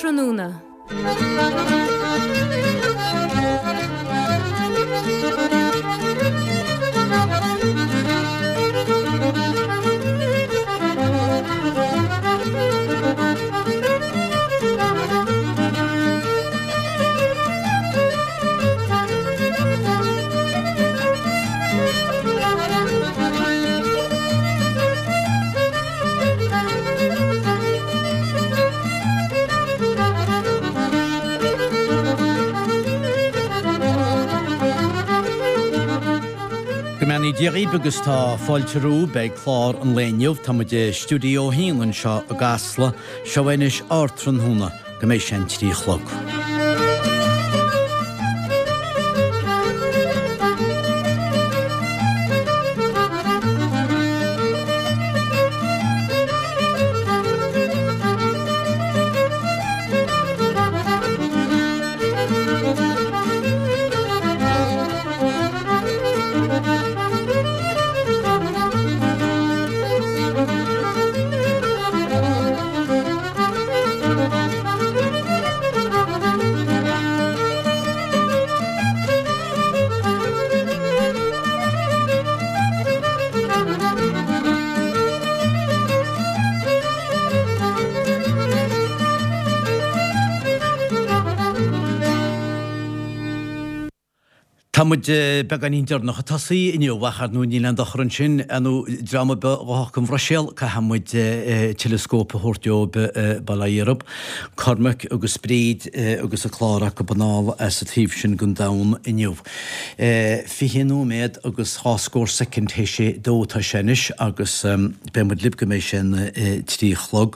Ardtráthnóna. Go mbeannaí Dia dhaoibh agus tá fáilte romhaibh ag clár an lae inniu. Tá muid i Stiúideo 1 anseo i gCasla. Seo anois Ardtráthnóna go mbeidh sé an 3 a chlog. Tá muid beagáinín deireanach ag tosaí inniu, ach ar ndóigh níl aon dochar ansin, ar ndóigh, dream ar bith a ghabhfadh go Bhruiséil, caithfidh muid teileascóp a thabhairt dóibh, bail ó Dhia orthu. Cormac agus Bríd agus a clár acu anall as an taobh sin den domhan inniu. 20 nóiméad agus dhá scór soicind théis a dó atá sé anois agus beidh muid libh go mbeidh sé an 3 a chlog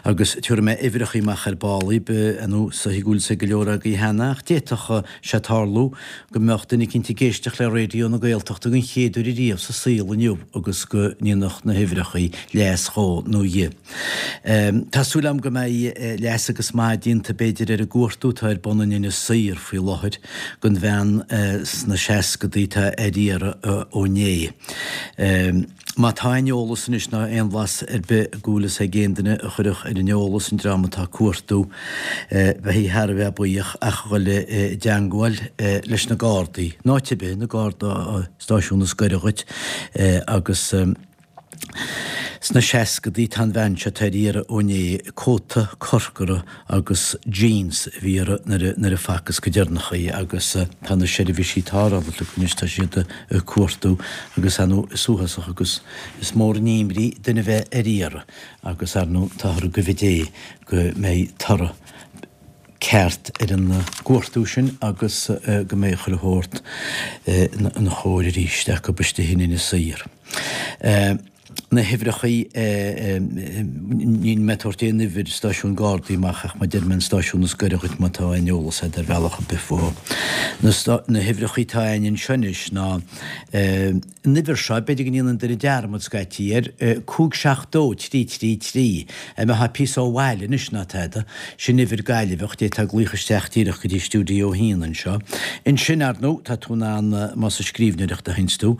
agus tabharfaidh mé uimhreachaí amach ar ball dhaoibh, ar ndóigh is dóichí go bhfuil fhios ag go leor agaibh cheana ach d'fhéadfadh sé tarlú go mbeadh duine eicínt ag éisteacht le Raidió na Gaeltachta den chéad uair ariamh sa saol inniu agus go ndéanfadh na huimhreachaí leas dhó nó dhi. Tá súil agam go mbeidh leas agus maith déanta b'fhéidir ar an gcuartú atá ar bun in Inis Oírr faoi láthair don bhean sna seascadaí atá ar iarraidh ó inné. Má tá aon eolas anois ná aon bhlas ar bith go bhfuil fhios ag aon duine a chuirfeadh ar an eolas an dream atá ag cuartú, bheifí thar a bheith buíoch ach a dhul i dteangmháil leis na Gardaí, in áit ar bith, na Garda stáisiún is gaire dhuit agus. Sna seascadaí tá an bhean seo atá ar iarraidh ó inné, cóta corcra agus jeans a bhí uirthi nuair a facthas go deireanach í agus tá na seirbhísí tarrthála anois, tá siad ag cuartú agus ar ndóigh is uafásach agus is mór an imní duine a bheith ar iarraidh agus ar ndóigh táthar ag guibhe Dé go mbeidh toradh ceart ar an gcuartú sin agus go mbeidh chuile shórt ina chóir arís acu istigh in Inis Oírr. Na huimhreachaí, níl mé ag tabhairt aon uimhir stáisiún Gardaí amach ach má deir mé an stáisiún is gaire dhuit má tá aon eolas agat ar bhealach ar bith fúthu. Na huimhreachaí atá againn anseo anois ná an uimhir seo, b'fhéidir go ndéanann duine dearmad scaití air, 5 7 2 3 3 3, a mbeifeá píosa ó bhaile anois ná tada, sin uimhir Gaillimheach, d'fhéadfá glaoch isteach díreach go dtí stiúideo a haon anseo. Ansin, ar ndóigh, tá tú in ann, más ag scríbhneoireacht a théanns tú,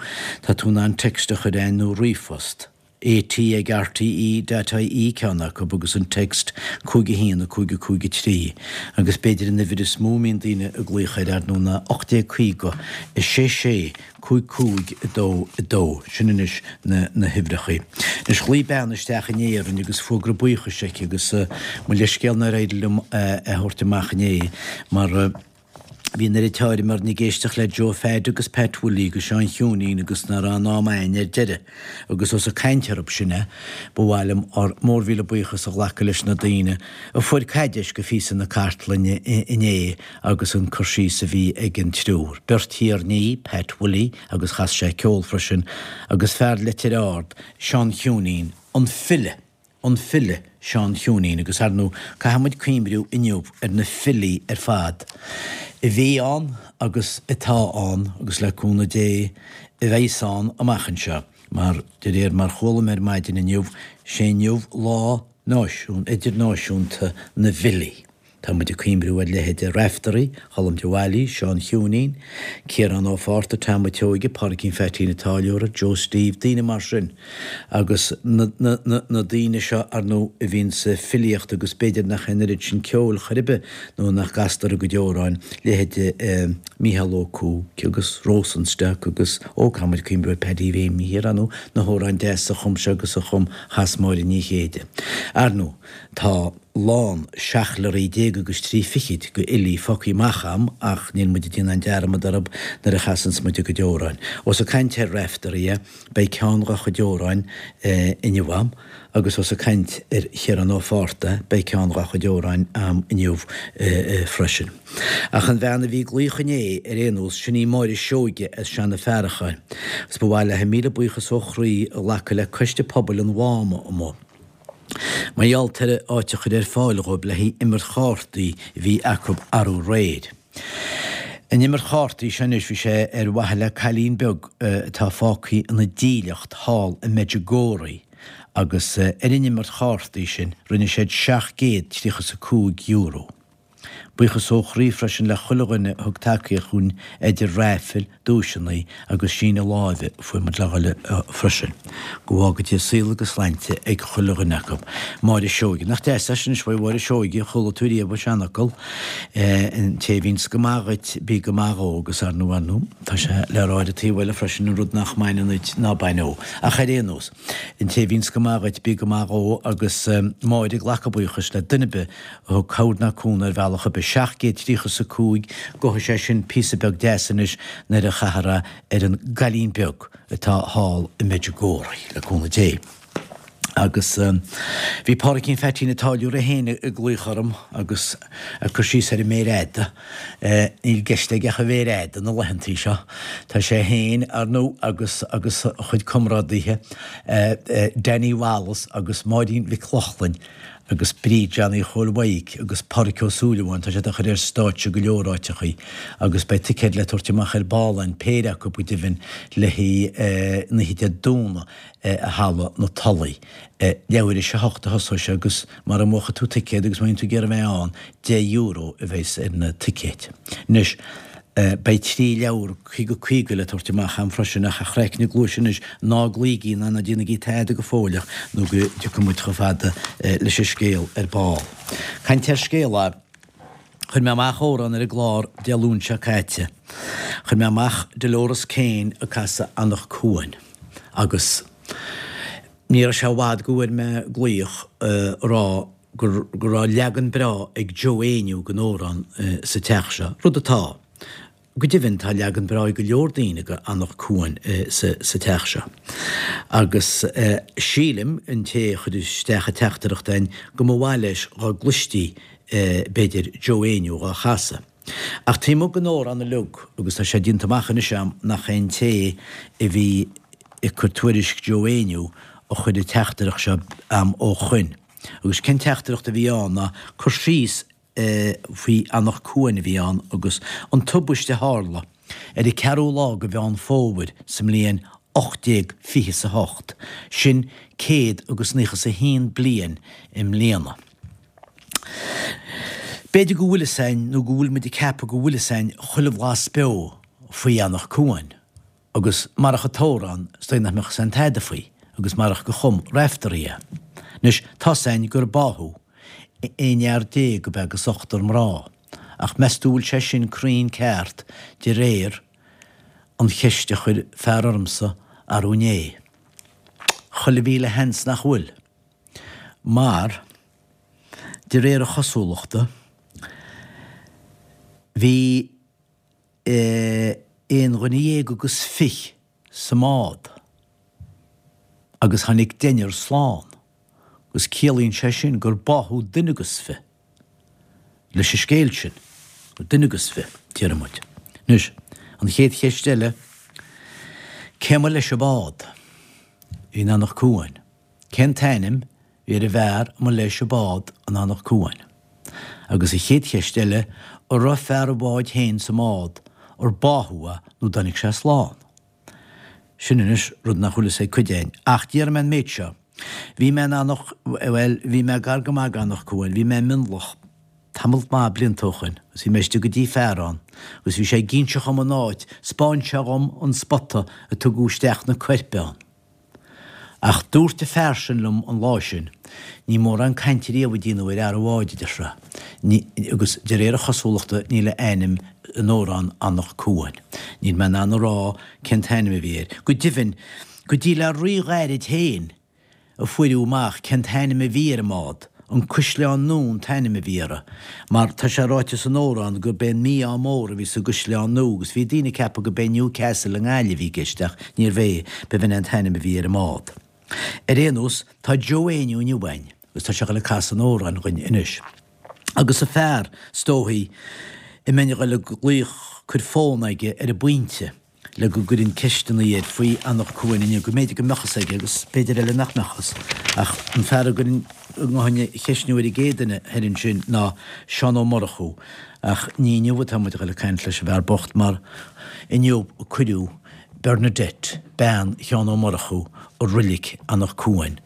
tá tú in ann text a chur againn nó ríomhphost. AT ag RTE dot IE ceann acu agus an text 5 1 5 5 3 agus b'fhéidir an uimhir is mó a mbíonn daoine ag glaoch air ar ndóigh ná 1850 6 6 5 5 2 2. Sin anois na na huimhreachaí. Anois ghlaoigh bean isteach inné orainn agus fógra buíochais aici agus mo leithscéal nár éirigh liom é a thabhairt amach inné mar Bhí an oiread táirm orainn ag éisteacht le Joe Pheaid agus Pat Willie agus Seán Chiúinín agus ná raibh aon am a'ainn ar deireadh. Agus ós ag caint orthub sin é, ba mhaith liom ár mór-mhíle buíochas a ghlacadh leis na daoine a fuair caidéis go phíosa na cartlainne inné agus an cur síos a bhí ag an triúr. Beirt thiarnaí, Pat Willie agus chas sé ceol freisin, agus fear Leitir Ard, Seán Chiúinín, an file. an file Seán Chiúinín agus ar ndóigh caithfidh muid cuimhniú inniu ar na filí ar fad a bhí ann agus atá ann agus le cúnamh Dé a bheas ann amach anseo mar de réir mar chuala mé ar maidin inniu sé inniu lá náisiún, idirnáisiúnta na bhfilí. Tá muid ag cuimhniú ar leithéide Raiftearaí, Cholm de Bhailís, Seán Chiúinín, Ciarán Ó Fátharta, Tom a' tSeoige, Pádraicín Pheaitín a' Táilliúra, Joe Steve, daoine mar sin. Agus na, na, na, na daoine seo, ar ndóigh, a bhíonn sa filíocht agus b'fhéidir nach é an oiread sin ceoil chor ar bith nó nach gcastar a gcuid amhráin, leithéide eh, Mícheál Ó Cuaig agus Rosenstock agus, ó, caithfidh muid cuimhniú ar Paddy Mhéimí thiar, ar ndóigh, na hamhráin deasa a chum sé agus a chum, chas Máire Ní Chéide. Ar ndóigh, tá. lán seacht leoraí déag agus trí fichid go fhilí fágtha amach a'm ach níl muid ag déanamh aon dearmad orthub nuair a chasanns muid a gcuid amhráin. Ós ag caint ar Raiftearaí, beidh ceann dhá chuid amhráin inniu a'm agus ós ag caint ar Chiarán Ó Fátharta, beidh ceann dhá chuid amhráin a'm inniu freisin. Ach an bhean a bhí ag glaoch inné ar aon nós, sin í Máire Seoige as Seanadh Fearacháin agus ba mhaith léi míle buíochas ó chroí a ghlacadh le Coiste Pobail an Mháma amuigh. Mar gheall ar áit a chur ar fáil dhóibh le haghaidh imirt chártaí a bhí acu arú aréir. An imirt chártaí seo anois bhí sé ar mhaithe le cailín beag atá fágtha ina dílleacht thall i Medjugorje agus ar an imirt chártaí sin rinne siad €735. Buíochas ó chroí freisin le chuile dhuine a thug tacaíocht dhúinn idir raifil, duaiseanna agus síneadh láimhe a fuair muid le dhoil freisin. Go bhfága Dia saol agus sláinte ag chuile dhuine acu. Máire Seoige. Nach deas é sin anois uaidh Mháire Seoige, chuala tú riamh an seanfhocal, an té a bhíonns go maith dhuit, bí go maith dhó agus ar ndóigh, ar ndóigh, tá sé le rá ar an taobh eile freisin, an rud nach mbaineann duit, ná bain dhó. Ach ar aon nós, an té a bhíonns go maith dhuit, bí go maith dhó agus Máire ag glacadh buíochais le duine ar bith a thug cabhair ná cúnamh ar bhealach ar bith. 735, Gabhfaidh sé sin píosa beag deas anois nuair a chaithfear é ar an gcailín beag atá thall i Medjugorje, le cúnamh Dé. Agus bhí Pádraicín Pheaitín an Táilliúra féin ag glaoch orm agus ag cur síos ar an méar fhada. Níl i gceist aige ach an mhéar fhada na laethantaí seo. Tá sé féin, ar ndóigh, agus agus a chuid comrádaithe, Danny Wallace agus Máirín Mhic Lochlainn, agus Bríd Johnny Chóil Mhaidhc agus Pádraic Ó Súilleabháin, tá siad á chur ar stáitse go leor áiteachaí agus beidh ticéid le tabhairt amach ar ball ann, péire acu go deimhin, le haghaidh an oíche Dé Domhnaigh i Halla na Tulaí. Leathuair théis a hocht a thosóidh sé agus mara mbuafaidh tú ticéad agus má bhíonn tú ag iarraidh a bheith ann, €10 a bheas ar na ticéid. Anois. Beidh 3 leabhar 50 50 le tabhairt amach a'm freisin ach a chraicne gluaise anois, ná glaoigí ná ná déanaigí tada go fóilleach nó go dtiocfaidh muid chomh fada leis an scéal ar ball. Caint ar scéal a. Chuir mé amach amhrán ar an gclár Dé Luain seo caite. Chuir mé amach Dolores Keane ag casadh Anach Cuain agus ní raibh sé i bhfad go bhfuair mé glaoch a rá go raibh leagan breá ag Joe Éinniú den amhrán sa teach seo, rud atá. Go deimhin, tá leagan breá ag go leor daoine de Anach Cuain sa teach seo. Agus sílim, an té a chuir isteach an teachtaireacht a'inn, go mba mhaith leis dhá gcloistí, b'fhéidir, Joe Éinniú dhá chasadh. Ach taobh amuigh den amhrán uilig, agus tá sé déanta amach anois a'm nach é an té a bhí ag cur tuairisc Joe Éinniú a chuir an teachtaireacht seo a'm ó shoin. Agus cén teachtaireacht a bhí ann ná cur síos faoi Anach Cuain a bhí ann agus an tubaiste a tharla ar an ceathrú lá de Mheán Fómhair sa mbliain 1828, sin céad agus naocha is a haon bliain i mbliana. B'fhéidir go bhfuil fhios a'inn nó go bhfuil muid ag ceapadh go bhfuil fhios a'inn chuile bhlas beo faoi Anach Cuain. Agus marach an t-amhrán, is dóigh nach mbeadh fhios a'inn tada faoi, agus marach gur chum Raiftearaí é. Anois, tá's a'inn gur báthadh aon fhear déag ab ea agus ochtar mná, ach meas tú bhfuil sé sin cruinn ceart de réir an cheist a chuir fear ormsa arú inné? Chuile mhíle sheans nach bhfuil. Mar, de réir a chosúlachta, bhí. Aon dhuine dhéag agus fiche sa mbád agus tháinig deichniúr slán agus ciallaíonn sé sin gur báthadh duine agus fiche leis an scéal sin, duine agus fiche, déarfaidh muid. Anois, an chéad cheist eile, cé mba leis an bád? In Anach Cuain. Cén t-ainm bhí ar an bhfear a mba leis an bád in Anach Cuain? Agus an chéad cheist eile, an raibh fear an bháid féin sa mbád, ar báthadh é nó dtáinig sé slán? Sin anois rud nach bhfuil fhios ag cuid againn. Ach déarfaidh mé an méid seo, bhí mé in Anach, bhuel, bhí mé gar go maith d'Anach Cuain, bhí mé i Mionlach. tamall maith blianta ó shoin agus bhí mé istigh go dtí fear ann agus bhí sé ag inse dhom an áit, 'spáin sé dhom an spota a tugadh isteach na coirp ann. Ach dúirt an fear sin liom an lá sin, ní mórán cainte riamh a déanadh ar fhear an bháid, a deir sé, ní, agus de réir a chosúlachta níl a ainm in amhrán Anach Cuain. Níl mé in ann a rá cén t-ainm a bhí air. Go deimhin, go dtí le rí-ghairid féin a fuaireadh amach cén t-ainm a bhí ar an mbád, An Cuisleán Nua an t-ainm a bhí uirthi, mar tá sé ráite san amhrán gurb é an mí-ádh mór a bhí sa gCaisleán Nua agus bhí daoine ag ceapadh gurb é Newcastle i nGaillimh a bhí i gceist ach níorbh é, b'in é an t-ainm a bhí ar an mbád. Ar aon nós, tá Joe Éinniú inniu againn agus tá sé ag dul ag casadh an amhráin dhuinn anois. Agus an fear, is dóichí, a mbeinn a dhul ag glaoch cuir fón aige ar an bpointe. le go gcuirfinn ceisteanna air faoi Anach Cuain inniu, go mb'fhéidir go mbeadh fhios aige agus b'fhéidir eile nach mbeadh fhios. Ach an fear a gcuirfinn a ngabhfainn a cheistniú ar an gcéad duine thoir ansin ná Seán Ó Murchú. Ach ní inniu atá muid a dhul ag caint leis an bhfear bocht mar inniu a cuireadh Bernadette, bean Sheáin Ó Murchú, i roilig Anach Cuain.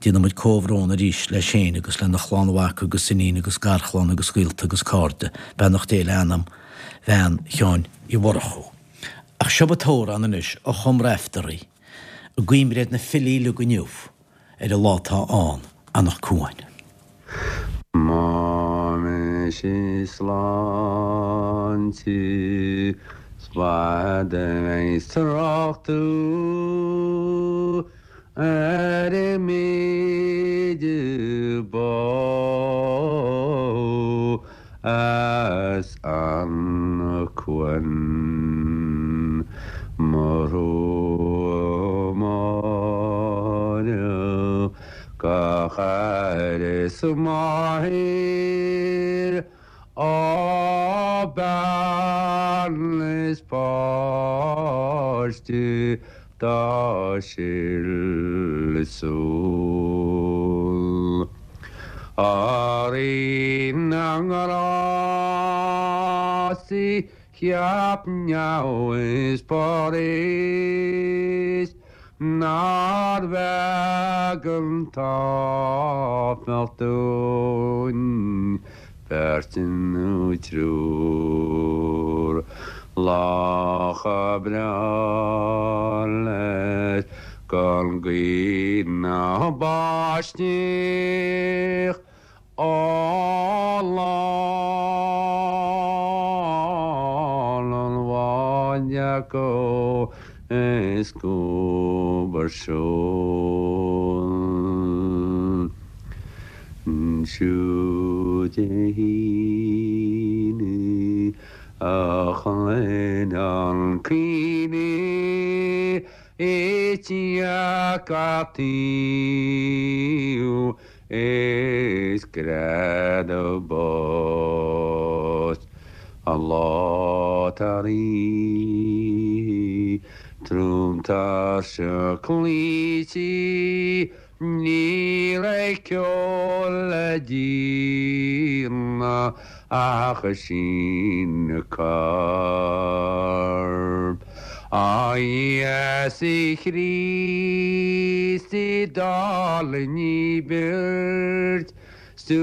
Déanann muid comhbhrón arís leis féin agus lena chlann mhac agus iníon agus garchlann agus gaolta agus cairde. Beannacht Dé le anam bhean Sheáin Uí Mhurchú. Ach seo an t-amhrán anois a chum Raiftearaí i gcuimhne ar na filí uilig inniu ar an lá atá ann, Anach Cuain. Mise sláinte 's fada a bheidh trácht ar an méid ba as Anach Cuain mo thrua Máire gach aire is máthair á bean is páiste dá sil súl. A Rí na nGrást cheap neamh is parthas nár bheag an t-áifeach dúinn beirt nó triúr. Lacha breá leis gan gaoth ná báisteach Á lán an bháid acu is cúbar seol. Siúd é Heaney a chluin an caoineadh i dteach a' tsaoil is greadadh bos an lá tar oíche trom tuirseach cloíte ní raibh ceol le déanamh ach síneadh coirp. A Íosa Chríost d'fháil beirt 's tú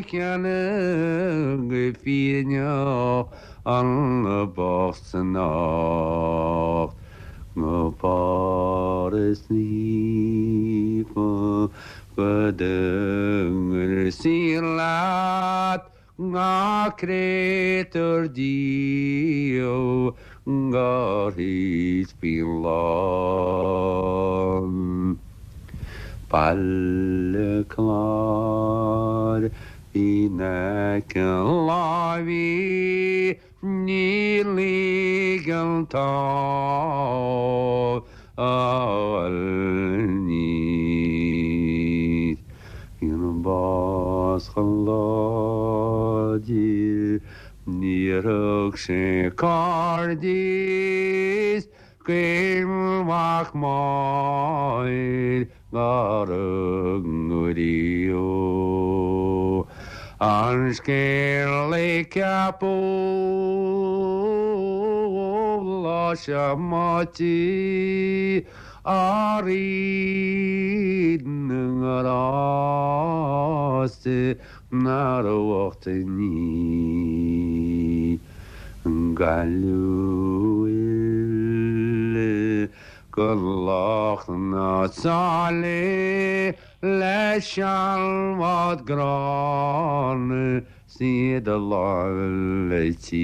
cheana go fírinneach an bocht san nocht go Páras Naofa go dtugair saor leat Gach créatúr díobh gur thit faoin lán. Baile Chláir in aice láimhe ní ligeann tá Níos an bás chomh láidir níor thug sé cairdeas Caoin mhac Máire dá rug riamh an scéal a ceapadh lá seo Máite a Rí na nGrást. Chríost nár uachtainn í. Gaillimh uile go Loch na Sáile leis an bhád gránna 's iad a lámh tír.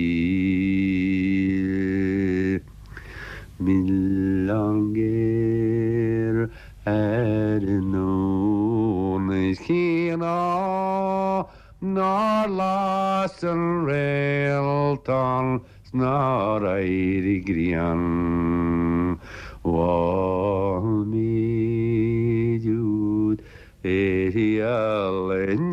Milleán géar ar an nDún is cíoradh nár las an réaltán 's nár éirigh grian. Mhol méid úd Uirthi in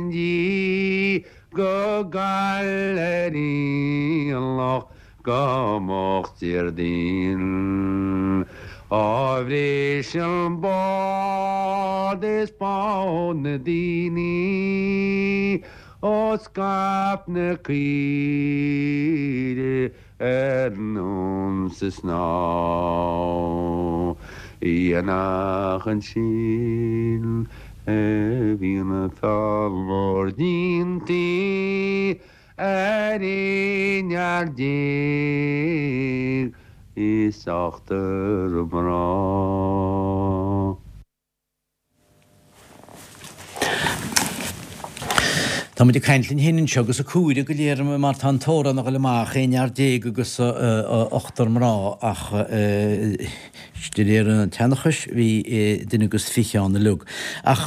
ndiaidh go gcail ar aonach go moch Déardaoin. Á bhris an bád is bád na daoine ó scaip na caoirigh ar ndún sa snámh. Aonach ansin a bhíonn an feall mór déanta ar aon fhear is ochtar mná. Tá muid ag caint linn féin anseo agus ag comhaireamh go léir mar tá an t-amhrán a dhul amach, aon fhear agus ochtar mná ach de réir an tseanchais bhí duine agus 20 ann uilig. Ach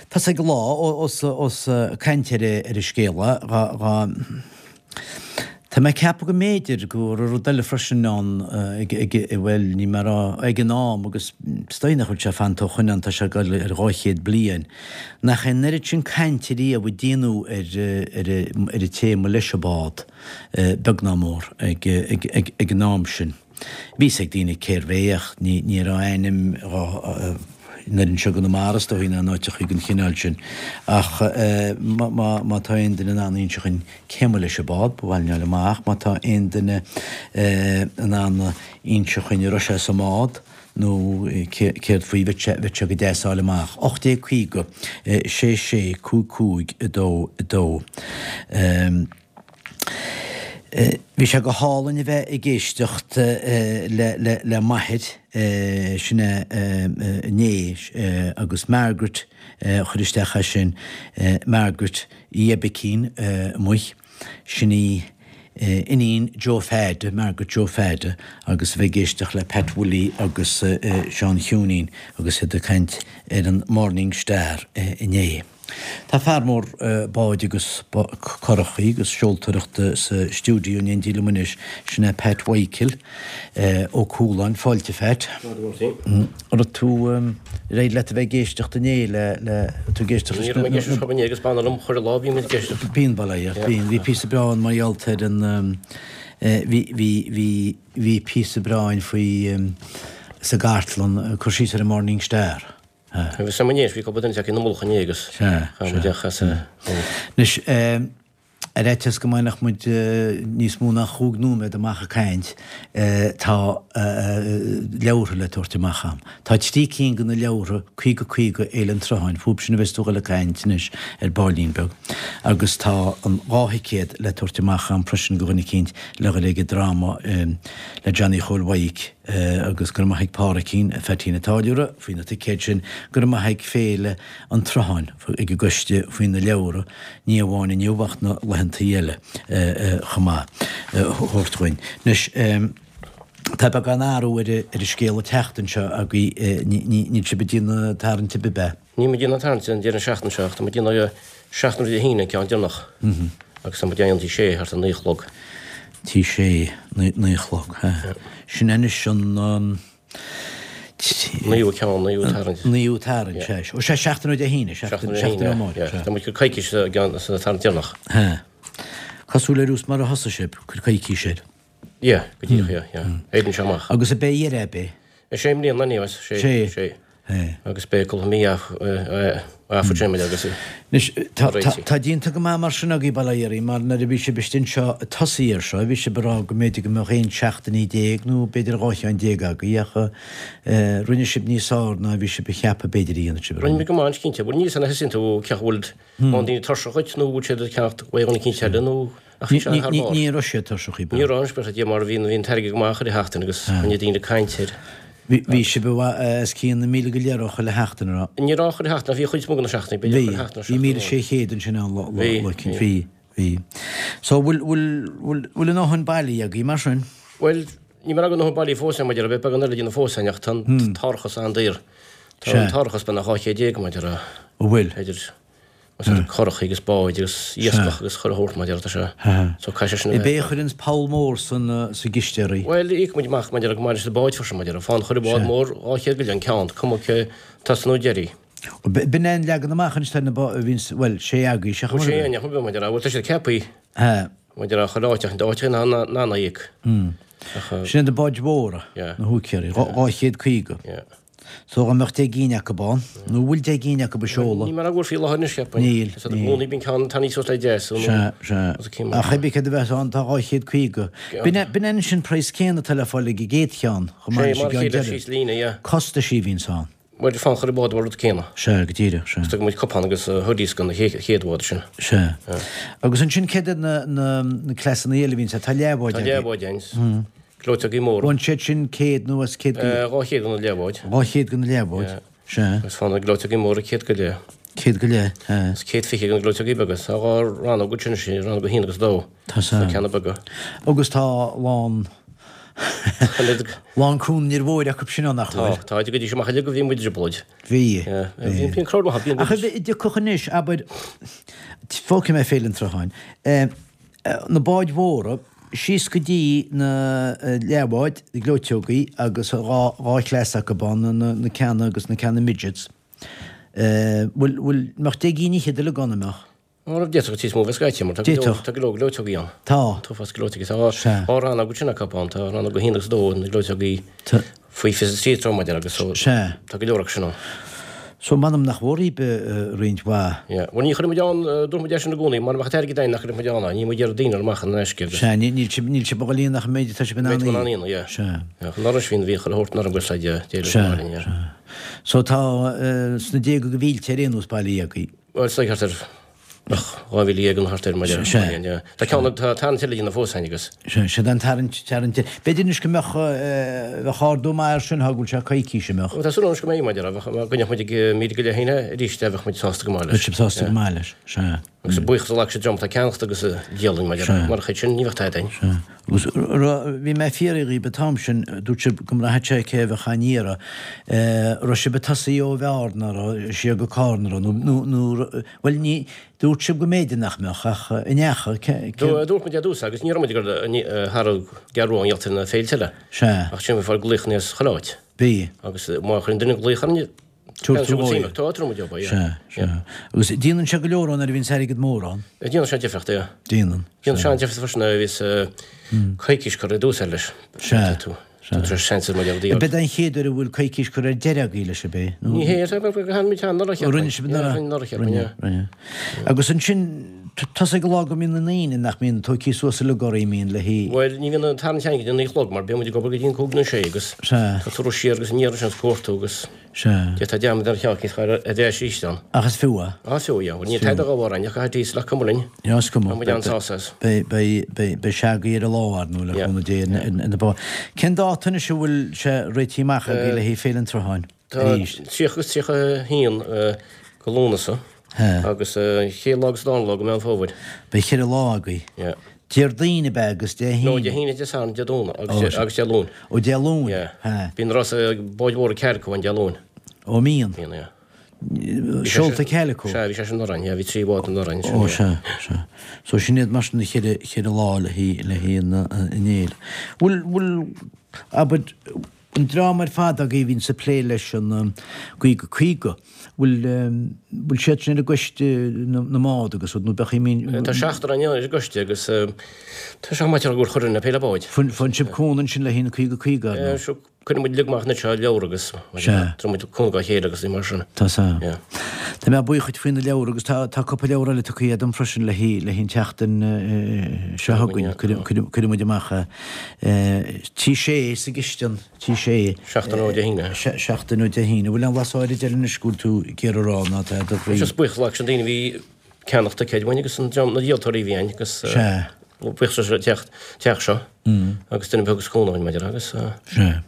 tá's ag lá ós caint ar an scéal dá Tá mé ag ceapadh go mb'fhéidir go raibh rud eile freisin ann ag, ag, bhuel, ní mar a, ag an am agus is dóigh nach bhfuil sé fanta ó shoin ann, tá sé ag dul ar 200 bliain, nach é an oiread sin cainte riamh a déanadh ar, ar, ar an téama leis an bád, beag ná mór, ag, ag, ag, ag an am sin. Bhí fhios ag daoine cérbh é ach ní, ní raibh ainm dhá, an oiread anseo i gConamara is dóigh ná in áiteachaí den chineál sin. Ach má, má, má tá aon duine in ann a inse dhuinn cé mba leis an bád, ba mhaith linn fháil amach. Má tá aon duine in ann a inse dhuinn an raibh sé sa mbád nó cé, céard faoi, bheadh sé, bheadh sé go deas fháil amach. 1850 6 6 5 5 2 2. Bhí sé go hálainn a bheith ag éisteacht le m'athair, sin é inné, agus Margaret a chuir isteach é sin, Margaret Jebicín amuigh, sin í iníon Joe Pheaid, Margaret Joe Pheaid, agus a bheith ag éisteacht le Pat Willie agus Seán Chiúinín agus iad ag caint ar an Morning Star inné. Tá fear mór báid agus curachaí agus seoltóireachta sa stiúideo in éindí liom anois, sin é Pat Mhichael Ó Cualáin. Fáilte, a Phat. An raibh tú, ar éirigh leat a bheith ag éisteacht inné le, le, tú ag éisteacht leis na. Ní raibh mé ag éisteacht chomh inné agus b'annamh liom chuile lá bhí mé ag éisteacht. Bíonn, bail ó Dhia ort, bíonn. Bhí píosa breá ann mar gheall ar an, bhí, bhí, bhí, bhí píosa breá ann faoi, sa gcartlann, cur síos ar an Morning Star. Bhí sam inné, bhí cúpla duine ina mullach inné agus chaith muid ach as a. Anois, ar fhaitíos go mbainfeadh muid níos mó ná chúig nóiméad amach ag caint, tá leabhartha le tabhairt amach a'm. Tá trí cinn de na leabhartha, 50 50 Fhéile an tSrutháin, fúb sin a bheas tú a dhul ag caint anois ar baillín beag, agus tá an dá thicéad le tabhairt amach a'm freisin do dhuine eicínt le dhul ag an dráma le Johnny Chóil Mhaidhc. Agus go raibh maith ag Pádraicín, Pheaitín an Táilliúra, faoi na ticéid sin, go raibh maith ag Féile an tSrutháin, ag an gcoiste faoi na leabhra, ní amháin inniu ach na laethantaí eile chomh maith, a thabhairt dhuinn. Anois, tá beagán athrú ar an scéal an tseachtain seo agaibh, níl sibh ag déanamh tarraingt ar bith, ab ea? Níl muid ag déanamh tarraingt an deireadh seachtaine seo ach tá muid ag déanamh seachtain roimh Dé hAoine an ceann deireanach agus tá muid á dhéanamh tigh Sé thart ar naoi a chlog. Tigh Sé, naoi a chlog, ha. Sin anois an. Naoú ceann, naoú tarraingt. Naoú tarraingt, sea. Ó sea, seachtain ó Dé hAoine, seachtain ó amárach, sea. Tá muid ag cur coicís sa gceann, sa tarraingt deireanach. Ha. Cosúil le rús mar a thosaigh sibh, cuir coicís air. Yeah, go díreach, yeah, yeah. Éiríonn sé amach. Agus ab é a dheireadh ab é? Is é i mbliana, anyways, sé, sé. Sé. Agus beidh cúpla mí afa tréimile agus Anois, tá, tá, tá déanta go maith mar sin agaibh, bail ó Dhia oraibh, mar nuair a bhí sibh istigh anseo ag tosaí air seo, bhí sibh ag rá go mb'fhéidir go mbeadh 11 seachtainí nó b'fhéidir 12 cheann agaibh ach eh, rinne sibh níos fearr ná bhí sibh ag ceapadh b'fhéidir a dhéanfadh sibh. Rinne muid go maith, cinnte. Bhuel, níl 'fhios a'inn thosaíonn tú cé acu bhfuil mórán daoine tuirseach dhuit nó bhfuil siad ag ceannacht uaidh dhuine eicínt eile nó ach bhí sé thar barr. Ní raibh siad tuirseach ar bith. Ní raibh an spéir Dia mar bhí bhí an t-airgead go maith chuile sheachtain agus choinnigh daoine ag caint air. Bhí sibh i bhfad os cionn na 1,000 go leith chuile sheachtain, an raibh? Ní raibh chuile sheachtain ach bhí chuid mó de na seachtainí, b'fhéidir chuile sheachtain nó seachtain amháin. Bhí 1,600 ansin ann lá eicínt, bhí, bhí. So bhfuil, bhfuil, bhfuil, bhfuil a ndóthain bailithe agaibh mar sin? Bhuel, níl mé ag a ndóthain bailithe fós mar a déarfá, beidh beagán eile le déanamh fós ach tá an t-árachas an-daor. Tá an t-árachas beagnach 200 mar a déarfá. An bhfuil? Idir. Más iad curachaí agus báid agus iascach agus chuile shórt mar a déarfá tá sé. So caithfidh sé sin a bheith. Ab é a chuireanns poll mór san sa gciste oraibh? Bhuel, íocann muid amach mar a déarfá go maith leis na báid freisin mar a déarfá. Faigheann chuile bhád mór 200 go leith an ceann, cuma cé tosach nó deiridh. B'in é an leagan amach anois tá na bá, bhíonns, bhuel, sé agaibh, seachain Bhuel, sé againn, ach mar a déarfá, bhuel tá siad ceaptha. Mar a déarfá chuile áit ach áit in ann a íoc. Ach. Sin iad na báid mhóra, na húicéirí, 250. Yeah. So dá mbeadh 10 gcinn acu ann, nó bhfuil 10 gcinn acu ag seoladh? Níl mé ag faoi láthair anois, cheapfainn. Níl, Is i gcónaí bíonn ceann tarraingthe suas le deas. Sea, sea. Ach cibé céard a bheas ann, tá 250. B'in é, b'in é anois an praghas céanna atá le fáil ag an gcéad cheann, chomh maith leis an gceann deiridh. Costaisí a bhíonns ann. Bhuel, fán chuile bhád mar rud céanna. Sea, go díreach, sea. Is tugann muid cupán agus hoodies don chéad bhád sin. Sea. Agus ansin céard iad na, na, na cleasanna eile a bhíonns ann? Tá leathbháid agaibh. Tá leathbháid ann. Gleoiteogaí móra. Bhain siad sin 100 nó os 100 go. 200 do na leathbháid. 200 do na leathbháid, sea. Agus fá na gleoiteogaí móra 100 go leith. 100 go leith, sea. Agus 120 do na gleoiteogaí beaga. Tá dhá rannóg ansin, sin rannóg 1 agus 2. Tá sea. Sna ceanna beaga. Agus tá lán, lán Cuan an Fhir Mhóir acu sin ann, nach bhfuil? Tá, tá. Go dtí seo amach uilig go bhí muid i dtrioblóid. Bhí. Bhí. Bhí an crowd maith, bhí. Ach a dtiocfadh anois, abair, fágfaidh mé Féile an tSrutháin, na báid mhóra, síos go dtí na leathbháid, na gleoiteogaí agus dhá chleas acu ann, na ceanna agus na ceanna midgets. Bhfuil, bhfuil, mbeadh deich gcinn fhichead uilig ann, an mbeadh? Ó, d'fhéadfadh níos mó bheith scaití mar tá go leor, tá go leor gleoiteogaí ann. Tá. Tá fás gleoiteogaí. Tá dhá rannóg ansin acu ann, tá rannóg 1 agus 2 na gleoiteogaí. Faoi 23 troigh mar a déarfá agus so Sea. tá go leor acu sin ann. So m'anam nach bhfuair roinnt mhaith. Yeah. Bhuel ní chuirfidh muid ann, dúirt muid é sin i gcónaí, mura mbeadh an t-airgead againn nach gcuirfeadh muid ann é, níl muid ag iarraidh daoine a chur amach in aisce agus. Sea, níl sibh, níl sibh ag dul ach an méid atá sibh in ann a. Méid in ann a, yeah. Sea. Yeah, anuraidh bhí, bhí chuile shórt anuraidh buíochas le Dia, Dé le Sea, yeah. sea. So tá sna déaga de mhílte ar aon nós bailithe agaibh. Bhuel, is thart ar 12,000 nó thart air mar a. Tá ceann tá tarraingt eile le déanamh fós againn agus. Sea, sea, an tarraingt, tarraingt. B'fhéidir anois go mbeadh, bheadh ardú maith air sin, thá go bhfuil sé coicís imithe. Tá súil agam anois go mbeidh, mar a déarfá, bheadh, go mbeadh muid ag 1,000 go leith féin arís, bheadh muid sásta go maith leis. Bheadh sibh sásta go maith leis, sea. Agus buíochas a ghlac siad dream atá ag ceannacht agus ag díol linn, mar a déarfá, murach iad sin ní bheadh tada againn. Sea. Agus bhí mé ag fiafraí dhíbh an t-am sin, dúirt sibh go mbraithfeadh sé cé a bheadh á n-iarraidh. Raibh sibh ag tosaí ó Bhearna, raibh, siar go Carna, raibh, nó, nó, bhuel, ní, dúirt sibh go mb'fhéidir nach mbeadh, ach an ndeacha, cé, cé. Dúirt muid ar dtús agus ní raibh muid ag dul thar an gCeathrú Rua i ngeall ar na féilte eile. Sea. Ach sin bhí fáil glaochanna as chuile áit. Bhí. Agus má chuireann duine glaoch orainn, Tabhair tú dhó. Tá, tabharfaidh muid dhó, yeah. Sea, sea. Agus déanann sé go leor ann nuair a bhíonns airgead mór ann. Déanann sé difríocht, yeah. Déanann. Déanann sé an-difríocht freisin nuair a bhíos coicís curtha i dtús air leis. Sea, sea. Tá seans ar muid Ab é an chéad uair a bhfuil coicís curtha ar deireadh agaibh leis, ab é? Ní hé, rinne muid anuraidh, cheapfainn. Rinne sibh anuraidh? Rinne anuraidh, cheapfainn, yeah. Rinne, rinne. Agus ansin, tusa ag an lá go mbíonn na ndaoine nach mbíonn tógtha suas uilig oraibh, mbíonn le hí. Bhuel, ní bhíonn an tarraingt againn go dtí an naoi a chlog mar bíonn muid ag obair go dtí an cúig nó sé agus Sea. tá tú siar agus aniar ansin is cuartú agus. Sea. D'fhéadfá dearmad ar cheann cinn ar ais arís ann. Ach is fiú é. Á, is fiú, yeah. Bhuel, níl tada dhá bharr againn ach caithfidh diesel ach cuma linn. Yeah, is cuma. Tá muid an-sásta as. Beidh, beidh, beidh, beidh sé agaibh ar an lá, ar ndóigh, le Yeah. cúnamh Dé, ar na bá. Cén dáta anois a bhfuil sé réitithe amach agaibh le haghaidh Féile an tSrutháin? Tá Arís. 30 agus 31 go Lúnasa He. agus an chéad lá agus an dara lá go Meán Fómhair. Beidh cheithre lá agaibh. Yeah. Déardaoin ab ea agus Dé No, Dé hAoine, Dé Sathairn, Dé Domhnaigh agus Dé, agus Dé Luain. Ó Dé Luain? Yeah. He. Bíonn rása báid mhóra Calico ann Dé Luain. Ó mbíonn? Bíonn, yeah. Seolta Calico? Sea, bhí sé sin anuraidh, yeah, bhí trí bhád anuraidh ansin. Ó sea, sea. So sin iad mar sin na cheithre, cheithre lá le haghaidh, le haghaidh an, an fhéile. Bhfuil, bhfuil, abair. An dream ar fad agaibh a bhíonns ag plé leis an 50 50, bhfuil, bhfuil siad sin ar an gcoiste na mbád agus rud, nó beadh i mean. Tá seachtar againn ar an gcoiste agus tá sé maith gur chuir na peile báid. Faigheann sibh cúnamh ansin le haghaidh na 50 50, ar ndóigh. Cuireann muid uilig amach anois ár leabhar agus tabharann muid cúnamh dá chéile agus mar sin. Tá sea. Tá mé buíoch dhuit faoi na leabhair agus tá tá cúpla leabhar eile tugtha dom freisin le haghaidh le haghaidh an tseachtain seo chugainn. Cuirfidh muid amach tí sé sa gcistin, tí sé. Seachtain ó Dé hAoine. Seachtain ó Dé hAoine. Bhfuil aon bhlas áirid eile anois go bhfuil tú ag iarraidh a rá ná tá do chroí. Just buíochas leis na daoine a bhí ag ceannach ticéid uainn agus an dream na díoltóirí a bhí ann agus buíochas leis an teach teach seo agus duine beag is cúnamh maidir agus. Sea.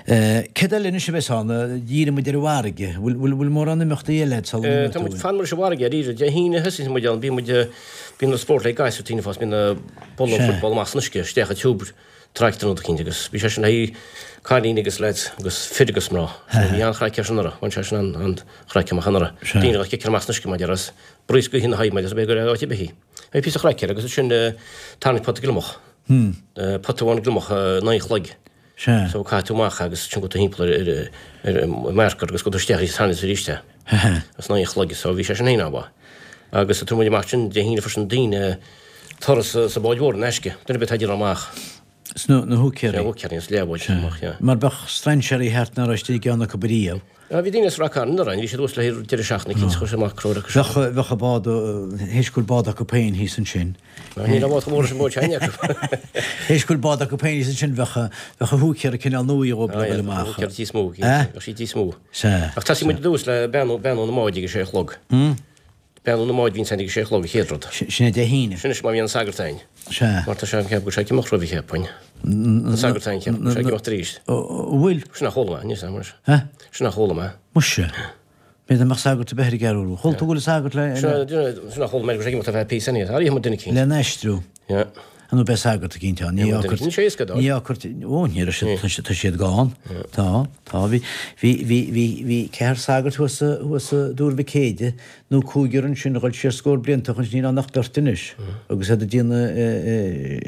Céard eile anois a bheas ann? Dhírigh muid ar an bhfarraige. Bhfuil bhfuil mórán imeachtaí eile agat sula Tá muid fan muid sa bhfarraige arís. Dé hAoine thosaigh muid ann. Bíonn muid bíonn na spórt le gasúir tine fós bíonn na bulla football amach san uisce isteach i tiúb tractor nó eicínt agus bhí sé sin le haghaidh cailíní agus lads agus fir agus mná. So bhí an-chraic air sin anuraidh. Bhain sé sin an-chraic amach anuraidh. Daoine a chiceáil amach san uisce maidir as braois gaoithe ina haghaidh maidir as b'fhéidir áit ar bith í. Bhí píosa chraic air agus ansin tarraingt pota gliomach. Pota amháin gliomach in aghaidh an chloig. Sea. So caithfidh tú amach agus ansin gabh tú thimpeall ar ar ar marker agus gabh tú isteach arís tarraingt arís é. As in aghaidh an chloig so bhí sé sin féin an-mhaith. Agus tabharfaidh muid amach sin Dé hAoine freisin daoine turas sa bád mhór in aisce. Duine ar bith atá ag déanamh amach. Sna na húicéirí. Sna húicéirí, is leathbháid amach, yeah. Mar bheadh strainséirí thart nach raibh istigh i gceann acu ariamh. Ah, bhí daoine as Rath Cairn anuraidh, bhí siad thuas le haghaidh deireadh seachtaine cinnte, chuir siad amach crobhaire acu. Bheadh, bheadh a bád, théis go bhfuil bád acu féin thíos ansin. Ah, níl a bhád chomh mór leis an bád sin acu. Théis go bhfuil bád acu féin thíos ansin, bheadh, bheadh a húicéara cineál nua dhóibh le dhul amach. Ah, yeah, húicéara níos mó, bheadh siad níos mó. Sea. Ach tosaíonn muid ar dtús le beannú, beannú na mbád ag a sé a chlog. Beannú na mbád bhíonn ag a sé a chlog an chéad rud. Sin é Dé hAoine. Sin anois má bhíonn an sagart ann. Sea. Mar tá sé ag ceapadh go bhfuil sé ag imeacht roimhe cheapfainn. An sagart ann ceapaim go bhfuil sé ag imeacht arís. An bhfuil? Sin a chuala mé, níl 's agam anois. Hä? Sin a chuala mé. Muise. B'fhéidir nach mbeadh sagart ar bith ar an gCeathrú Rua. Chuala tú go bhfuil sagart le. Sin a chuala mé go bhfuil sé ag imeacht ar feadh píosa anyway. Ar ith muid duine eicínt. Lena aistriú. Yeah. Nó beidh sagart eicínt ann. Ní Ní sé éasca dó. Ní fhágfar, ó, ní raibh siad, tá siad gann. Tá, tá. Bhí, bhí, bhí, bhí, bhí ceathrar sagart thuas sa, thuas sa Dúr Mhic Éide, nó cúigear ansin a dhul siar scór blianta ó shin, níl ann ach beirt anois, agus iad ag déanamh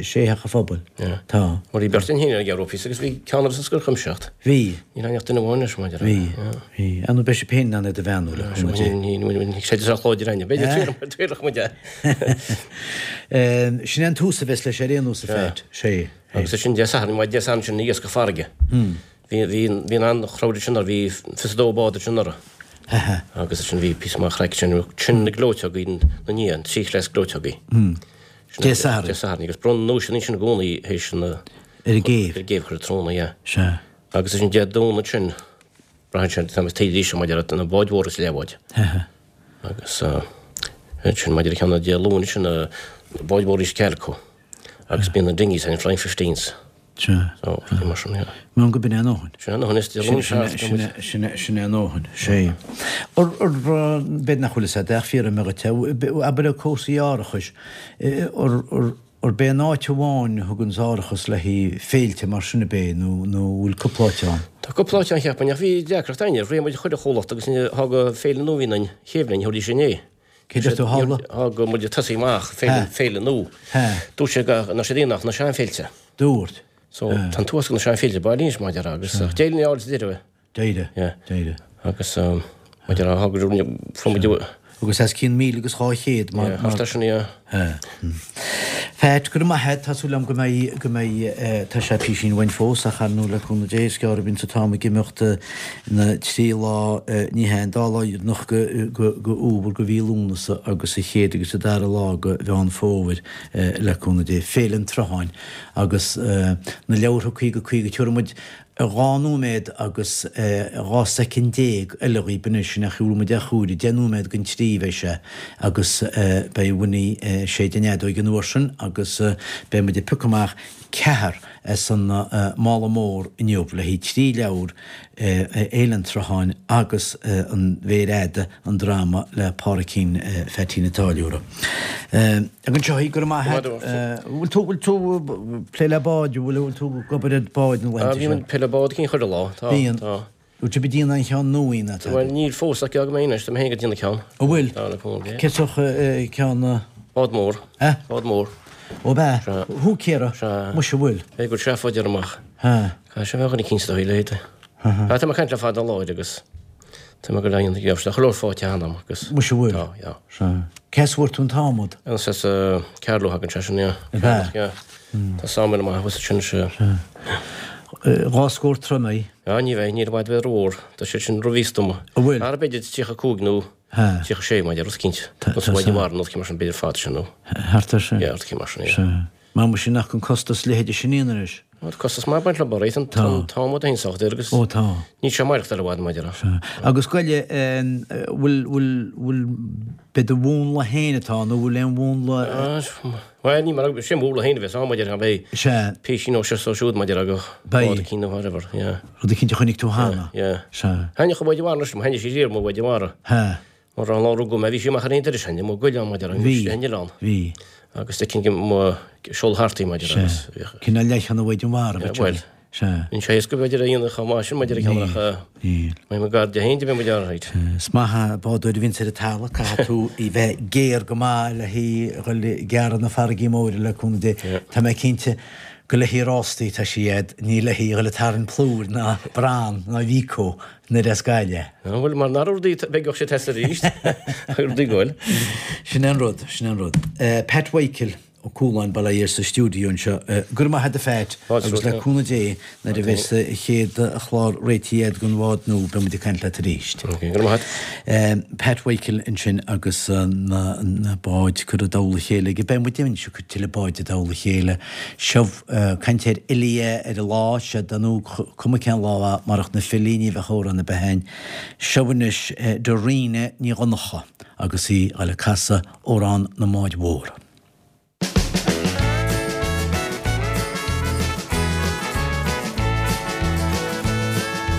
sé theach an phobail. Tá. Bhuel, bhí beirt againn féin ar an gCeathrú píosa agus bhí ceann eile sa Scoil Chuimsitheach. Bhí. Níl ann ach duine amháin anois, maidir le. Bhí, bhí. Ar ndóigh beidh sibh féin in ann iad a bheannú le cúnamh Dé. Ní, ní, ní, ní, sé chlóid ar aithne. B'fhéidir, tuarach muid é. Sin é an tús a bheas leis ar aon nós a Pheait. Sé. Agus ansin Dé Sathairn, maidin Dé Sathairn sin iascach farraige. Bhí, bhí, bhí an-chrowd ansin anuraidh, bhí 22 bád ansin anuraidh. Agus ansin bhí píosa maith craic ansin, sin na gleoiteogaí na ndiaidh, an trí chleas gleoiteogaí. Dé Sathairn. Dé Sathairn agus bronnadh duaiseanna ansin i gcónaí théis na. Ar an gcéibh. Ar an gcéibh chuile tráthnóna, yeah. Sea. Agus ansin Dé Domhnaigh sin, braitheann sé, tá mé taobh arís maidir le na báid mhóra is leathbháid. Agus ansin maidir le ceann Dé Luain sin na báid mhóra is cealco agus bíonn na dinghies and flying fifteens. Sea. So, rudaí mar sin, yeah. Measaim go b'in é a ndóthain. Sin é a ndóthain, is Dé Luain sea. Sin é, sin é a ndóthain, sea. Ar, ar, b'fhéidir nach bhfuil fhios agat ach fiafraíonn mé dhuit, abair le cúrsaí árachais, ar, ar, Arb é an áit amháin a thuganns árachas le haghaidh féilte mar sin ab é nó nó bhfuil cúpla áit ann? Tá cúpla áit ann cheapfainn ach bhí deacracht againn, rith muid chuile chomhlacht agus thá go féile nua a bhí ann chéibh linn, thabharfaidís sin é. Cé deir tú tharla? Thá go muid ag tosaí amach, féile, féile nua. Dúirt sé go nach siad aon ach na seanfhéilte. Dúirt. So tá an t-uasal na seanfhéilte bailí anois mar a déarfá agus d'éirigh linn a fháil sa deireadh. D'éirigh. Yeah. D'éirigh. Agus maidir le thá go fuair muid a. Agus os cionn 1,200 mar. Yeah, thart ar sin, yeah. Yeah. Pheait, go raibh maith a't, tá súil agam go mbeidh, go mbeidh, tá sé písín uainn fós ach ar ndóigh le cúnamh Dé is gearr a bhíonns an t-am ag imeacht na trí lá, ní hea, an dá lá dheireanach go, go, go fhómhar, go mhí Lúnasa agus an chéad agus an dara lá go Mheán Fómhair le cúnamh Dé. Féile an tSrutháin agus na leabhartha 50 50 tabharfaidh muid 12 nóiméad agus 12 soicind eile dhaoib anois, ach gheobhaidh muid ar chúire, 10 nóiméad don trí bheidh sé agus beidh Winnie ag séideadh an fheadóig an uair sin agus beidh muid ag piocadh amach ceathrar as an mála mór inniu le haghaidh trí leabhar, Féile an tSrutháin agus An Mhéir Fhada. an dráma le Pádraicín Pheaitín an Táilliúra. Ag anseo í, go raibh maith a't. Bhfuil tú, bhfuil tú plé le báid, bhfuil, bhfuil tú ag obair ar báid na laethanta seo? Bhíonn plé le bád cinn chuile lá, tá, Bíonn. tá. Bhfuil sibh ag déanamh an cheann nua ina tá? Bhuel, níl fós ach go mbeidh anois, tá mé féin ag déanamh ceann. An bhfuil? Tá, le cúnamh Dé. Cé sórt ceann? Bád mór. Eh? Bád mór. Ó b'ea? Sea. Húicéara? Sea. Muise bhfuil. Bheadh go seafóid air amach. Ha. Caithfidh sé a bheith dhuine eicínt dá leithéid. Ha. Tá mé ag caint le fada an lá air agus tá mé go leith dhéanamh gheobhaidh sé chuile shórt fáite cheana agam agus. Muise bhfuil. Tá, yeah. Sea. Cé as a bhfuair tú an t-adhmad? Is as Carló a thagann sé sin, yeah. Ab ea? Yeah. Tá sawmill maith thuas ansin, sea. Sea. 2 scór troim í? Ah, ní bheidh, níl i bhfad bheith rómhór. Tá siad sin rómhíosta dom. An bhfuil? Ara b'fhéidir 35 nó 36 mar rud eicínt. Tá, Nó tá, sa tá. mhaidin nó rud mar sin b'fhéidir fad sin nó. Thart ar sin. Yeah, rud eicínt mar sin, yeah. Sea. Mar muise nach an costas leithéide sin aon anois. Tá costas maith ag baint le borraí, tá an t-adhmad féin sách daor agus Ó tá. níl sé maireachtáil i bhfad maidir le. Sea. Agus goile, bhfuil, bhfuil, bhfuil, b'é do mhúnla féin atá ann nó bhfuil aon mhúnla. Bhuel, ní mar, sé múnla féin a bheas ann maidir le beidh Sea. písín ó seo is ó siúd maidir le Beidh. bád eicínt nó whatever, yeah. Rud eicínt a chonaic tú cheana. Yeah. Sea. Thaitneodh an bád i bhfad anois liom, thaitnigh sí riamh mo bhád i bhfad. Sea. Mar an lá rugadh mé, bhí sí amach ar aon turas cheana, mo goile maidir le Bhí. an oileán. Bhí. Agus d'fheicinn go mo seol thart í maidir Sea. agus bhíodh. Cineál leath-cheann a bhfaigh an mhara, Yeah, b'fhéidir. bhuel. Sea. Níl sé éasca b'fhéidir a dhéanamh chomh maith sin maidir le ceann Níl. ach Níl. mbeidh mo gar de féin de bheith muid alright. Is maith an bádóir a bhíonns ar an talamh, caithfidh tú í bheith géar go maith le hí a dhul ag gearradh na farraigí móire le cúnamh Dé. Yeah. Tá mé cinnte go le haghaidh rástaí tá sí a'd, ní le haghaidh a dhul ag tarraingt plúir ná bran ná mhícó. Nuair as Gaillimh. An bhfuil mar nár rudaí beidh sé test arís rudaí goil. Sin é an rud, sin é an rud. Pat Mhichael Ó Cualáin, bail ó Dhia air sa stiúideo anseo. Go raibh maith agat a Phat agus le cúnamh Dé nuair a bheas an chéad chlár réitithe agat don bhád nua beidh muid ag caint leat arís. Ok, go raibh maith agat. Pat Mhichael ansin agus na báid curtha i dtoll a chéile aige. Beidh muid anois ag cur tuilleadh báid i dtoll a chéile. Seo Caint ar fhilí ar an lá, sea, dar ndóigh, cuma cén lá é, marach na filí ní bheadh amhrán ar bith ann. Seo anois Doireann Ní Dhonncha agus í ag dul ag casadh Amhrán na mBád Mhór.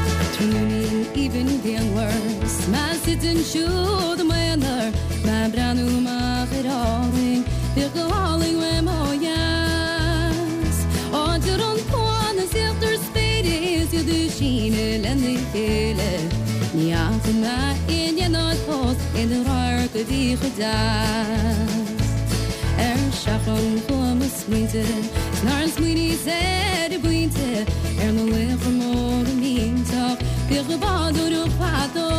Tráthnóinín aoibhinn grianmhar 's mé suite ansiúd i m'aonar, mé ag breathnú amach ar Árainn, bhíodh go hálainn uaim ó dheas. Áit a raibh an cuan is íochtar spéire is iad ag síneadh lena chéile. Ní fhaca mé in aon áit fós aon radharc a bhí chomh deas. Ar seachrán chuaigh mo smaointe 's nár smaoiníos ar an bpointe ar na laochra móra millteach bhíodh ag bádóireacht fadó.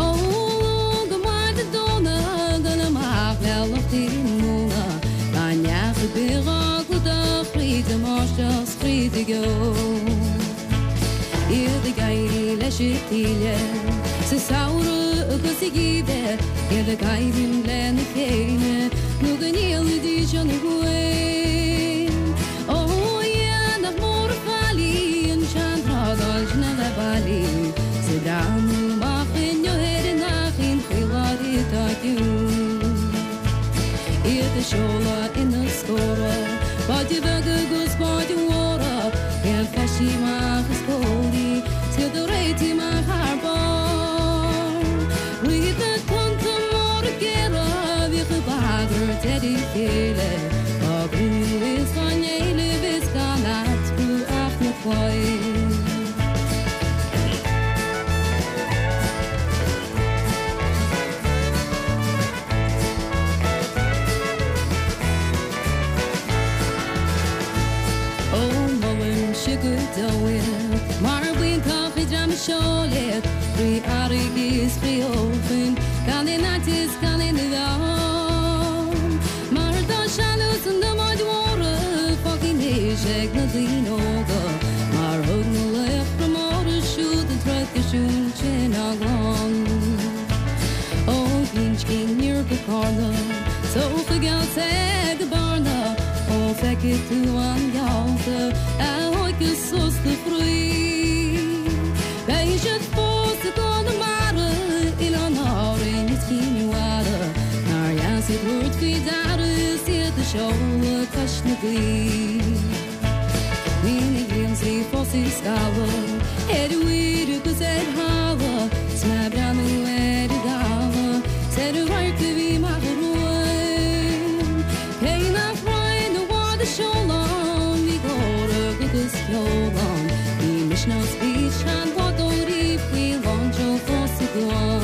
Ó Luan go Máirt go Domhnach ag dul amach le lucht na móna gan neach ar bith dhá gclúdach fríd an mbáisteach 's fríd an gceo. Iad ag éirí leis an taoille sa samhradh agus sa gheimhreadh, iad ag coimhlint lena chéile nó go ndíolfaidís an ghuaim. Ó a Dhia, nach mór an faillí an tseantrádáil sin a bheith bailí 's ag breathnú amach inniu ar an Fhairche chaoláire atá ciúin. Iad ag seoladh ina scórtha, báid bheaga agus báid mhóra, ag feistí amach is comhlaí, 's iad ag réiteach amach thar barr. Rith na tonnta móra géara a bhíodh ag bagairt ar a chéile, á gcruinniú is á n-éileamh is gan eatarthu ach na poill. Ó molaimse go deo iad mar b'iontach an dream a sheol iad trí fharraige is trí fheochain gan aon fhaitíos gan aon mheon. Mar tá sealús na mbáid mhóra fágtha anois ag na daoine óga mar thug na laochra móra siúd an traidisiún sin á gclann. Ó Ghlinnscí aniar go Cárna, 's ó Chuigéal soir go Bearna, ó feicfidh tú an gheallta a thóigfeas sos do chroí. Beidh siad fós i gConamara, Oileáin Árainn is Cinn Mhara, nár dheas iad thabhairt faoi deara is iad ag seoladh cois na gaoithe. Bíonn a ghiúnsaí fós ag scalladh ar mhuir agus ar thalamh 's mé ag breathnú ar an gcaladh 's ar an radharc a bhí amach romhainn. Cé nach raibh na báid ag seoladh ann bhí glór agus ceol ann, bhí misneach 's bhí seanbhádóirí faoi lánseol fós sa gcuan.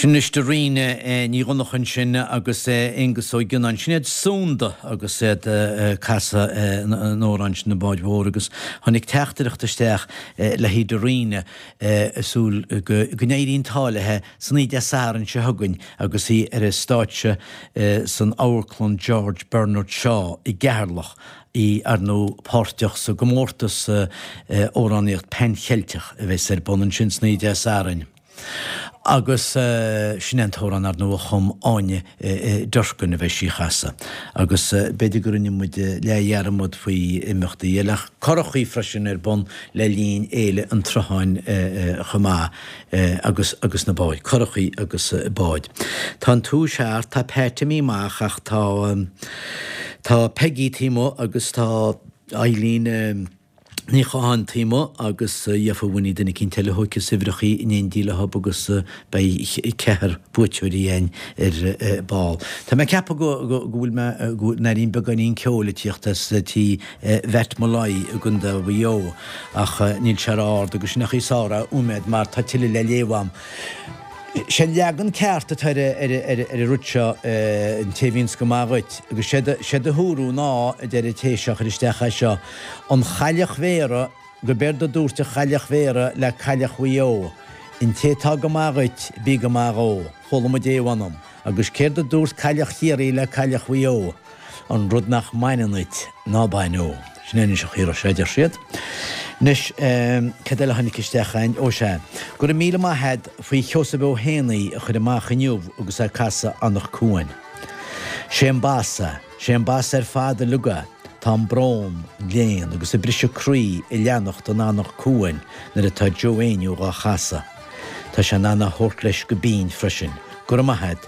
Sin anois Dairena Ní Dhonncha ansin agus Aengus Ó Gionnáin. Sin iad Sunda agus iad ag casadh an amhráin sin Na Báid Mhóra agus tháinig teachtaireacht isteach le haghaidh Dairena ag súil go n-éiríonn an t-ádh léi san oíche Dé Sathairn seo chugainn agus í ar an stáitse san Amharclann George Bernard Shaw i gCeatharlach í ar ndóigh páirteach sa gcomórtas amhránaíocht Pan Cheilteach a bheas ar bun ansin san oíche Dé Sathairn. Agus sin é an t-amhrán ar ndóigh a chum Áine Durkin a bheidh sí a chasadh. Agus b'fhéidir go rinne muid leathdhearmad faoi imeachtaí eile ach curachaí freisin ar bun le linn Fhéile an tSrutháin chomh maith agus agus na báid, curachaí agus báid. Tá an tomhas thart, tá Pat imithe amach ach tá tá Peggy taobh amuigh agus tá Eileen, Ní Chatháin taobh amuigh agus gheofa Winnie duine eicínt eile a thóigfeas uimhreachaí in éindí leob agus beidh ceathrar buaiteoirí againn ar ball. Tá mé ag ceapadh go go bhfuil mé go n-airím beagáinín ceoil ag tíocht as tí Mhatt Molloy i gContae Mhaigh Eo ach níl sé ró-ard agus sin an chaoi is fearr é a choimeád mar tá tuilleadh le léamh a'm. Sé an leagan ceart atá ar an rud seo, an té a bhíonns go maith dhuit, agus sé do thuaradh ná, a deir an té seo a chuir isteach é seo, an chailleach Bhéara, gurb éard a dúirt an chailleach Bhéara le cailleach Mhaigh Eo, an té atá go maith dhuit, bí go maith dhó. Chuala muid é, mh'anam. Agus céard a dúirt cailleach Chiarraí le cailleach Mhaigh Eo? An rud nach mbaineann duit, ná bain dhó. Sin é anois an chaoi a raibh sé, a deir siad. Anois, cad eile a tháinig isteach a'inn? Ó sea. Go raibh míle maith a'd faoi Sheosamh Ó hÉanaí a chuir amach inniu agus é ag casadh Anach Cuain. Sé an bas é. Sé an bas ar fad uilig é. Tá an brón, an léan agus an briseadh croí ag leanacht in Anach Cuain nuair atá Joe Éinniú dhá chasadh. Tá sé in ann a thabhairt leis go binn freisin. Go raibh maith a'd.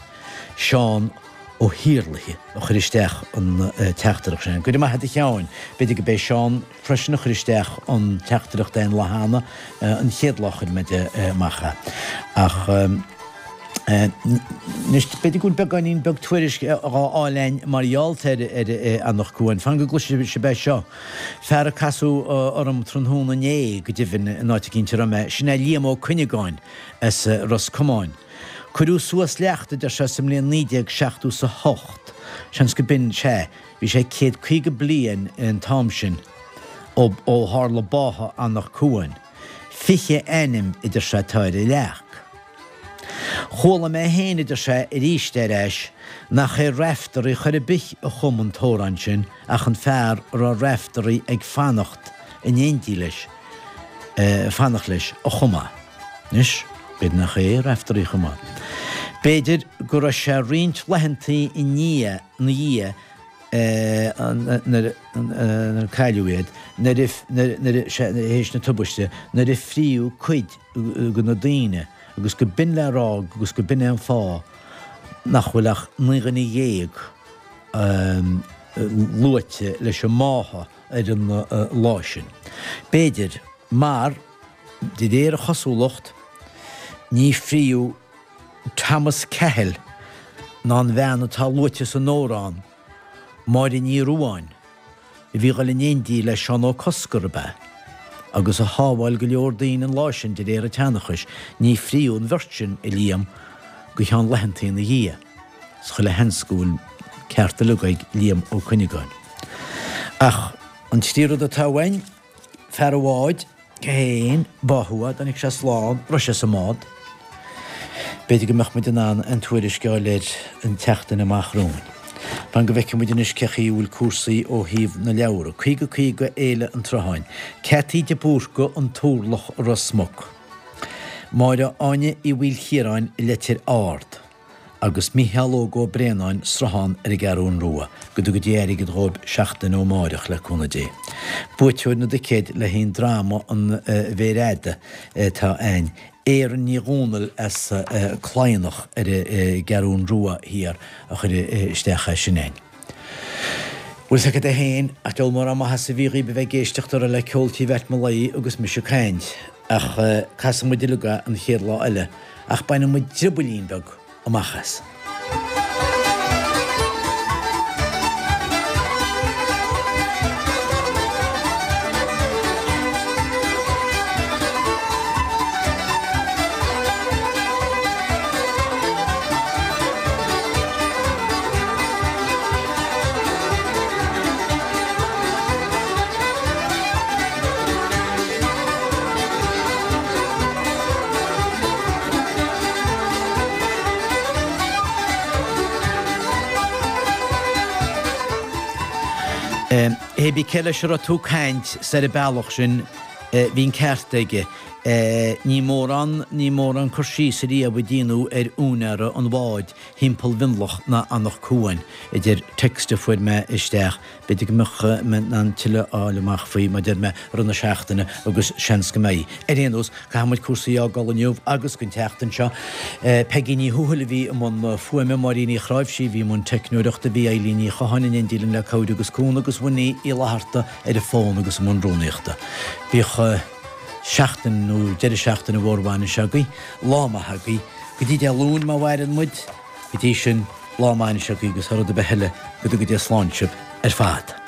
Seán Ó hIarlaithe a chuir isteach an teachtaireacht sin. Go raibh maith agat a Sheáin. B'fhéidir go b'é Seán freisin a chuir isteach an teachtaireacht aon lá cheana, an chéad lá a chuir muid amach é. Ach anois, b'fhéidir go bhfuil beagáinín beag tuairisc dhá fháil a'inn mar gheall ar Anach Cuain. Fan go gcloisfidh sibh é seo. Fear a casadh orm tráthnóna inné, go deimhin, in áit eicínt a raibh mé, sin é Liam Ó Cuinneagáin as Ros Comáin. Cuireadh suas leacht, a deir sé, sa mbliain 1978. Seans go b'in, sea, bhí sé 150 bliain an t-am sin ó ó tharla báthadh Anach Cuain. 20 ainm, a deir sé, atá ar an leac. Chuala mé féin, a deir sé, arís ar ais, nach é Raiftearaí chor ar bith a chum an t-amhrán sin ach an fear a raibh Raiftearaí ag fanacht in éindí leis, fanacht leis, a chum é. Anois, b'fhéidir nach é Raiftearaí a chum é. B'fhéidir go raibh sé roinnt laethantaí i ndiaidh, na dhiaidh nuair a cailleadh iad, nuair a, nuair a, sea, théis na tubaiste, nuair a fríodh cuid de na daoine agus go b'in le rá agus go b'in é an fáth nach bhfuil ach 19 dhuine luaite leis an mbáthadh ar an lá sin. B'fhéidir, mar. De réir a chosúlacht, ní fríodh Thomas Cahill ná an bhean atá luaite san amhrán, Máire Ní Ruadháin, a bhí dhul in éindí le Seán Ó Cosgair, ab ea? Agus a shábháil go leor daoine an lá sin, de réir an tseanchais, ní fríodh an bheirt sin, a Liam, go cheann laethantaí ina dhiaidh. Is chuile sheans go bhfuil ceart uilig ag Liam Ó Cuinneagáin. Ach an trí rud atá uainn, Fear an bháid, cé hé fhéin, báthadh é, dtáinig sé slán, raibh sé sa mbád. B'fhéidir go mbeadh muid in ann an tuairisc a fháil air an tseachtain amach romhainn. Fan go bhfeicfidh muid anois cé chaoi a bhfuil cúrsaí ó thaobh na leabhar. 50 50 Fhéile an tSrutháin. Ceataí de Búrca, An Turlach, Ros Muc. Máire Áine Uí Mhaoilchiaráin, Leitir Ard. agus Mícheál Óg Ó Braonáin, Sruthán ar an gCeathrún Rua, go dtuga Dia airgead dhóib seachtain ó amáireach, le cúnamh Dé. Buaiteoir na dticéad le haghaidh an dráma An Mhéar Fhada atá a'ainn, Éireann Ní Dhomhnaill as Cladhnach ar an gCeathrún Rua Thiar a chuir isteach é sin a'ainn. Bhfuil 's agat é féin, ach deabhal mórán maitheasa a bhí dhaoib a bheith ag éisteacht orthu le ceol tí Mhatt Molloy agus mise ag caint. Ach casfaidh muid uilig é an chéad lá eile, ach bainfidh muid driobaillín beag amach as. Hé bí cé leis a raibh tú ag caint soir an bealach sin, bhí an ceart aige. Ní mórán, ní mórán cur síos ariamh a déanadh ar úinéara an bháid thimpeall Mhionlach ná Anach Cuain, a deir text a fuair mé isteach. B'fhéidir go mbeadh mé in ann tuilleadh a fháil amach faoi, mar a deir mé, i rith na seachtaine agus seans go mbeidh. Ar aon nós, caithfidh muid cúrsaí a fhágáil inniu agus don tseachtain seo. Peigí Ní Thuathail a bhí i mbun fuaime, Máirín Uí Chráimhsí a bhí i mbun teicneoireachta, bhí Eilín Ní Chatháin in éindí linn le cabhair agus cúnamh agus Winnie Uí Fhlatharta ar an bhfón agus i mbun rúnaíochta. Bíodh seachtain nó deireadh seachtaine mhór bhainise agaibh, lá maith agaibh. Go dtí Dé Luain má mhaireann muid, go dtí sin, lá maith anois agaibh agus thar rud ar bith eile, go dtuga Dia slán sibh ar fad.